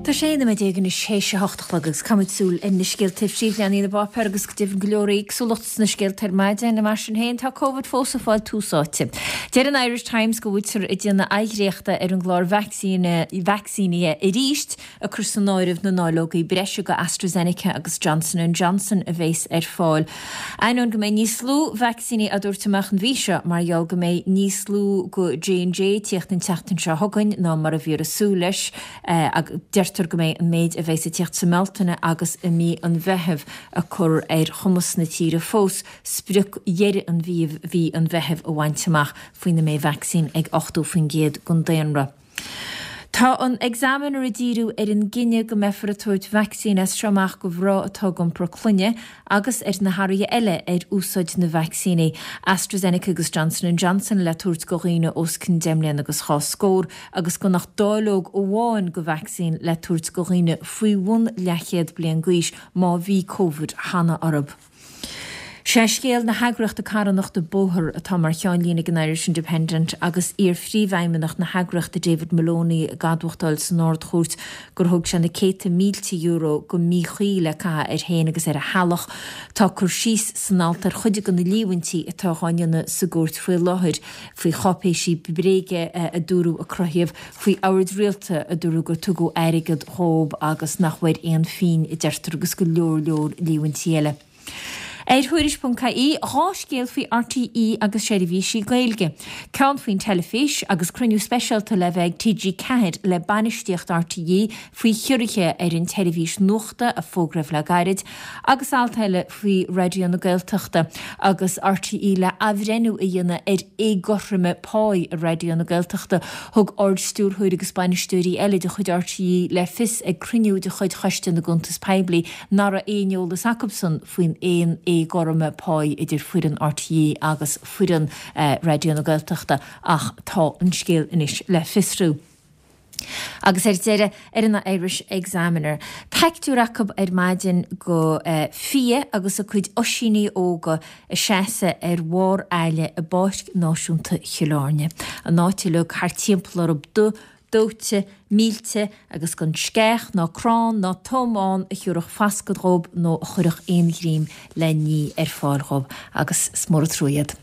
Tá 16 nóiméad anois théis a 8 a chlog agus caithfimid súil ar na scéalta ar phríomhleathanaigh na bpáipéar agus go deimhin go leor éagsúlacht sna scéalta ar maidin. Mar sin féin, tá Covid fós ag fáil tús áite. Deir an Irish Times go bhfuiltear ag déanamh athdhréachta ar an gclár vacsaínithe arís, ag cur san áireamh na ndáileogaí breise go AstraZeneca agus Johnson and Johnson a bheas ar fáil. Ainneoin go mbeidh níos lú vacsaíní á dtabhairt amach an mhí seo mar gheall go mbeidh níos lú go J&J ag tíocht an tseachtain seo chugainn ná mar a bhíothar ag súil leis, deirtear go mbeidh an méid a bheas ag tíocht sa mBealtaine agus i mí an Mheithimh ag cur ar chumas na tíre fós sprioc dheireadh an mhí an Mheithimh a bhaint amach faoina mbeidh vacsaín ag 80% den daonra. Tá an Examiner ag díriú ar an gcinneadh go mbeifear ag tabhairt vacsaín as seo amach go mhná atá ag iompar clainne agus ar na hathruithe eile ar úsáid na vacsaíní AstraZeneca agus Johnson and Johnson le tabhairt go dhaoine os cionn 10 mbliana agus dhá scór agus gan ach dáileog amháin go vacsaín le tabhairt go dhaoine faoi bhun leathchéad bliain d'aois má bhí Covid cheana orthu. Sé scéal na heagraíochta carthanachta Bóthar atá mar cheannlíne ag an Irish Independent agus iar-phríomhfheidhmeannach na heagraíochta David Moloney ag admhachtáil san Ard-Chúirt gur thóg sé na céadta mílte euro go míchuí le caitheamh air féin agus ar a theaghlach. Tá cur síos san alt ar chuid de na líomhaintí atá á ndéanamh sa gcúirt faoi láthair, faoi cháipéisí bréige a dúradh a cruthaíodh, faoi oird rialta a dúradh gur tugadh airgead dhób agus nach bhfuair aon phingin, a deirtear, agus go leor leor líomhaintí eile. Ar Thuairisc.ie, 2 scéal faoi RTÉ agus seirbhísí Gaeilge. Ceann faoin teilifís agus cruinniú speisialta le bheith ag TG4 le bainistíocht RTÉ faoi chiorruithe ar an tseirbhís nuachta a fógraíodh le gairid, agus alt eile faoi Raidió na Gaeltachta agus RTÉ le athbhreithniú a dhéanamh ar éagothroime páí i Raidió na Gaeltachta. Thug Ard-Stiúrthóir agus bainisteoirí eile de chuid RTÉ le fios ag cruinniú de chuid Choiste na gCuntas Poiblí nach raibh aon eolas acusan faoin aon éagothroime páí idir foireann RTÉ agus foireann Raidió na Gaeltachta ach tá an scéal anois le fiosrú. Agus ar deireadh, ar an Irish Examiner, peictiúr acu ar maidin go fia agus a cuid oisíní óga ag seasamh ar bharr aille i bPáirc Náisiúnta Chill Airne. An áit uilig thart timpeall orthu dubh, dóite, millte agus gan sceach ná crann ná tom ann a thiúrfadh fascadh dhób nó a chuirfeadh aon ghreim le ní ar fáil dhób. Agus is mór an trua iad.